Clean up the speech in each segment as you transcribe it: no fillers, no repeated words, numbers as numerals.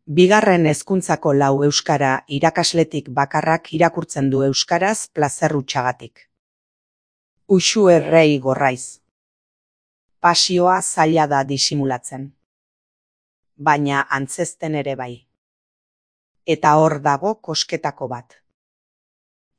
Bigarren hezkuntzako 4 euskara irakasletik bakarrak irakurtzen du euskaraz plazer hutsagatik. Uxu errei gorraiz. Pasioa zaila da disimulatzen. Baina antzezten ere bai. Eta hor dago kosketako bat.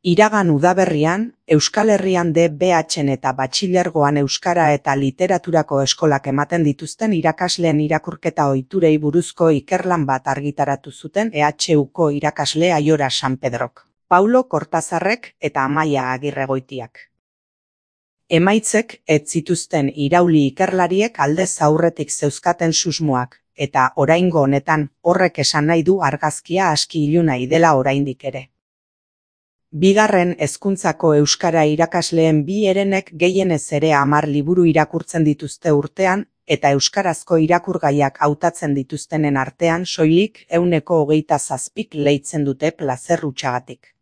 Iragan udaberrian, Euskal Herrian DBH-en eta batxilergoan euskara eta literaturako eskolak ematen dituzten irakasleen irakurketa ohiturei buruzko ikerlan bat argitaratu zuten EHUko irakasle Aiora San Pedrok, Paulo Kortazarrek eta Amaia Agirregoitiak. Emaitzek ez zituzten irauli ikerlariek aldez aurretik zeuzkaten susmoak, eta oraingo honetan horrek esan nahi du argazkia aski iluna dela oraindik ere. Bigarren hezkuntzako euskara irakasleen 2 herenek gehienez ere 10 liburu irakurtzen dituzte urtean, eta euskarazko irakurgaiak hautatzen dituztenen artean soilik 27%k leitzen dute plazer hutsagatik.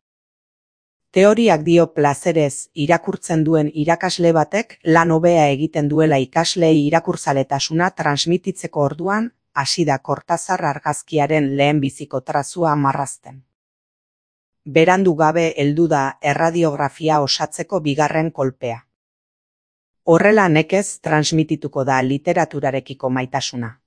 Teoriak dio plazerez irakurtzen duen irakasle batek lan hobea egiten duela ikasleei irakurzaletasuna transmititzeko orduan, hasi da Kortazar argazkiaren lehenbiziko trazua marrazten. Berandu gabe heldu da erradiografia osatzeko bigarren kolpea. Horrela nekez transmitituko da literaturarekiko maitasuna.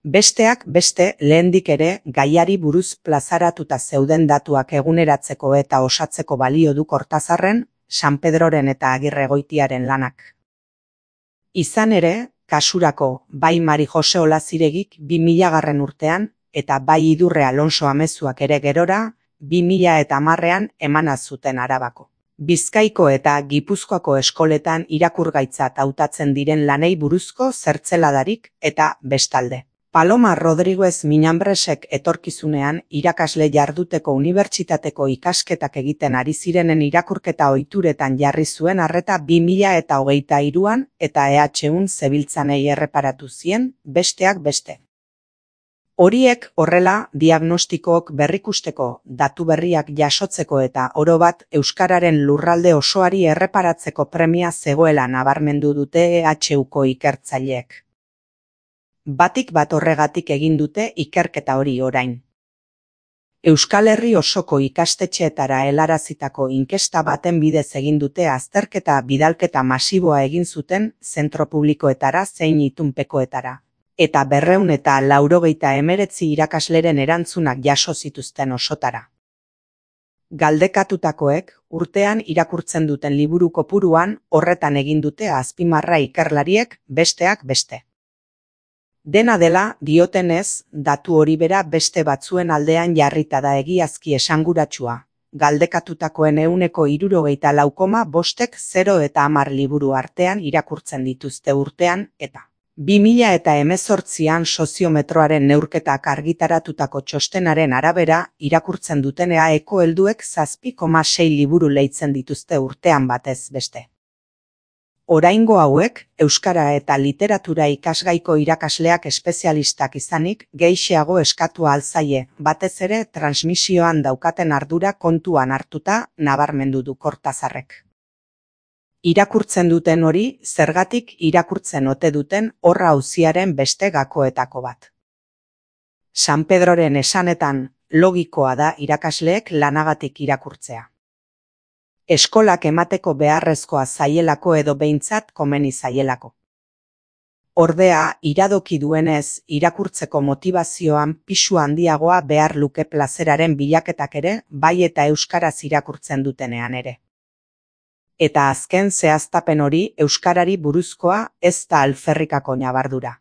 Besteak beste lehendik ere gaiari buruz plazaratuta zeuden datuak eguneratzeko eta osatzeko balio du Kortazarren, San Pedroren eta Agirregoitiaren lanak. Izan ere, kasurako bai Mari Jose Olaziregik 2000 urtean eta bai Idurre Alonso Amezuak ere gerora, 2010ean emana zuten Arabako, Bizkaiko eta Gipuzkoako eskoletan irakurgaitzat hautatzen diren lanei buruzko zertzeladarik eta bestalde. Paloma Rodriguez Minambresek etorkizunean irakasle jarduteko unibertsitateko ikasketak egiten ari zirenen irakurketa ohituretan jarri zuen arreta 2023an eta EHUn zebiltzanei erreparatu zien, besteak beste. Horiek horrela diagnostikook berrikusteko, datu berriak jasotzeko eta orobat euskararen lurralde osoari erreparatzeko premia zegoela nabarmendu dute EHUko ikertzaileek. Batik bat horregatik egin dute ikerketa hori orain. Euskal Herri osoko ikastetxeetara helarazitako inkesta baten bidez egin dute azterketa bidalketa masiboa egin zuten zentro publikoetara zein itunpekoetara. Eta 289 irakasleren erantzunak jaso zituzten osotara. Galdekatutakoek urtean irakurtzen duten liburu kopuruan horretan egin dute azpimarra ikerlariek, besteak beste. Dena dela, diotenez, datu hori bera beste batzuen aldean jarrita da egiazki esanguratsua. Galdekatutakoen 74,5%ek 0 eta 10 liburu artean irakurtzen dituzte urtean, eta 2018an soziometroaren neurketak argitaratutako txostenaren arabera, irakurtzen duten EAeko helduek 7,6 liburu leitzen dituzte urtean batez beste. Oraingo hauek, euskara eta literatura ikasgaiko irakasleak espezialistak izanik, gehixeago eskatu alzaie, batez ere transmisioan daukaten ardura kontuan hartuta, nabarmendu du Kortazarrek. Irakurtzen duten hori, zergatik irakurtzen ote duten horra auziaren beste gakoetako bat. San Pedroren esanetan, logikoa da irakasleek lanagatik irakurtzea. Eskolak emateko beharrezkoa zaielako edo behintzat komeni zaielako. Ordea, iradoki duenez, irakurtzeko motivazioan pisu handiagoa behar luke plazeraren bilaketak ere, bai eta euskaraz irakurtzen dutenean ere. Eta azken zehaztapen hori euskarari buruzkoa ez da alferrikako ñabardura.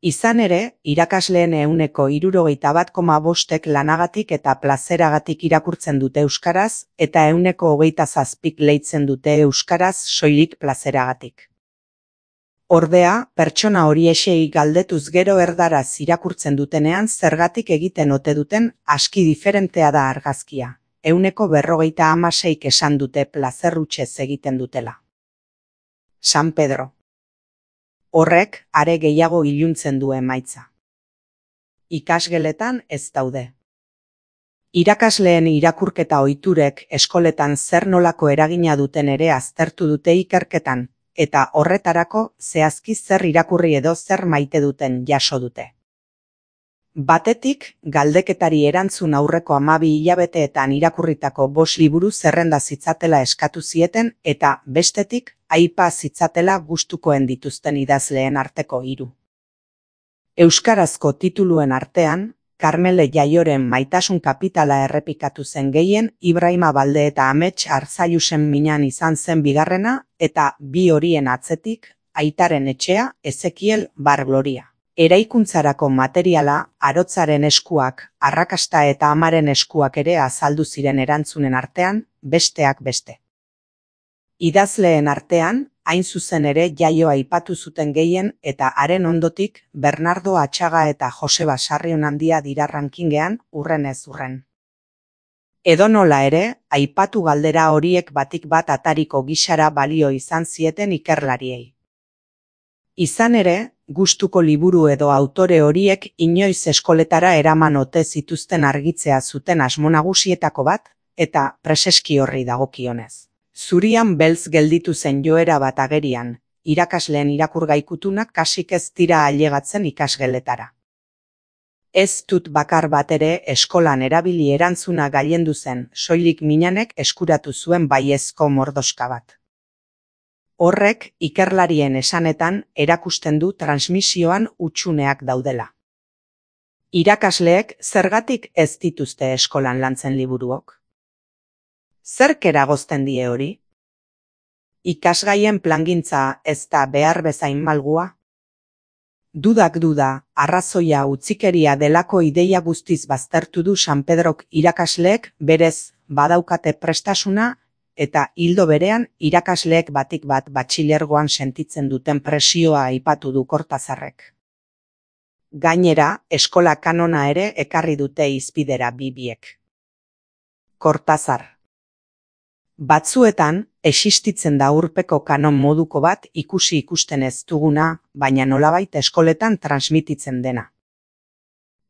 Izan ere, irakasleen 61,5%ek lanagatik eta plazeragatik irakurtzen dute euskaraz, eta 27%k leitzen dute euskaraz soilik plazeragatik. Ordea, pertsona horiexei galdetuz gero erdaraz irakurtzen dutenean zergatik egiten ote duten aski diferentea da argazkia. 56%k esan dute plazer hutsez egiten dutela. San Pedro. Horrek are gehiago iluntzen du emaitza. Ikasgeletan ez daude. Irakasleen irakurketa ohiturek eskoletan zer nolako eragina duten ere aztertu dute ikerketan, eta horretarako zehazki zer irakurri edo zer maite duten jaso dute. Batetik, galdeketari erantzun aurreko 12 hilabeteetan irakurritako 5 liburu zerrenda zitzatela eskatu zieten eta, bestetik, aipa zitzatela gustukoen dituzten idazleen arteko 3. Euskarazko tituluen artean, Karmele Jaioren Maitasun kapitala errepikatu zen gehien, Ibrahima Balde eta Amets Arzailusen Minan izan zen bigarrena, eta 2 horien atzetik, Aitaren Etxea, Ezekiel Bar Gloria. Eraikuntzarako materiala, Arotzaren eskuak, Arrakasta eta Amaren eskuak ere azaldu ziren erantzunen artean, besteak beste. Idazleen artean, hain zuzen ere Jaio aipatu zuten gehien eta haren ondotik Bernardo Atxaga eta Joseba Sarrionandia dira rankingean urrenez urren. Edonola ere, aipatu galdera horiek batik bat atariko gisara balio izan zieten ikerlariei. Izan ere, gustuko liburu edo autore horiek inoiz eskoletara eraman ote zituzten argitzea zuten asmo nagusietako bat, eta preseski horri dagokionez. Zurian beltz gelditu zen joera bat agerian, irakasleen irakurgaikutunak kasik ez dira ailegatzen ikasgeletara. Ez dut bakar bat ere eskolan erabili erantzuna gailendu zen, soilik Minanek eskuratu zuen baiezko mordoska bat. Horrek, ikerlarien esanetan, erakusten du transmisioan hutsuneak daudela. Irakasleek zergatik ez dituzte eskolan lantzen liburuok? Zerk eragozten die hori? Ikasgaien plangintza ez da behar bezain malgua? Dudak duda, arrazoia utzikeria delako ideia guztiz baztertu du San Pedrok irakasleek berez badaukate prestasuna eta ildo berean irakasleek batik bat batxilergoan sentitzen duten presioa aipatu du Kortazarrek. Gainera, eskola kanona ere ekarri dute hizpidera biek. Kortazar. Batzuetan, existitzen da urpeko kanon moduko bat ikusten ez duguna, baina nolabait eskoletan transmititzen dena.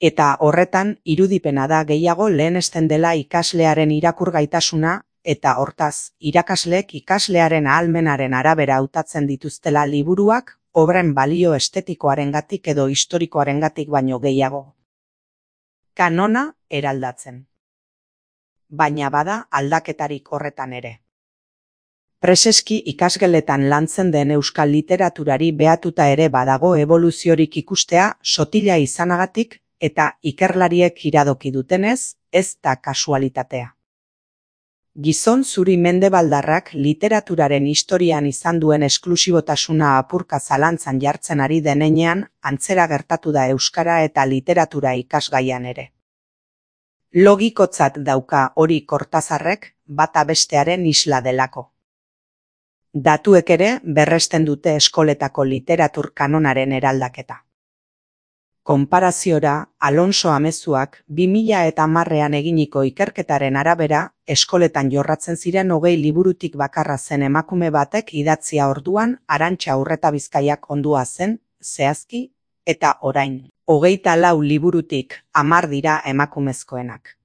Eta horretan, irudipena da gehiago lehenesten dela ikaslearen irakurgaitasuna, eta hortaz, irakasleek ikaslearen ahalmenaren arabera hautatzen dituztela liburuak, obren balio estetikoarengatik edo historikoarengatik baino gehiago. Kanona eraldatzen. Baina bada aldaketarik horretan ere. Preseski ikasgeletan lantzen den euskal literaturari behatuta ere badago evoluziorik ikustea sotila izanagatik eta ikerlariek iradoki dutenez, ez da kasualitatea. Gizon zuri mendebaldarrak literaturaren historian izan duen esklusibotasuna apurka zalantzan jartzen ari denean, antzera gertatu da euskara eta literatura ikasgaian ere. Logikotzat dauka hori Kortazarrek bata bestearen isla delako. Datuek ere berresten dute eskoletako literatur kanonaren eraldaketa. Konparaziora, Alonso Amezuak 2010ean eginiko ikerketaren arabera, eskoletan jorratzen ziren 20 liburutik bakarra zen emakume batek idatzia orduan Arantxa Urretabizkaiak ondua zen, zehazki, eta orain. 24 liburutik 10 dira emakumezkoenak.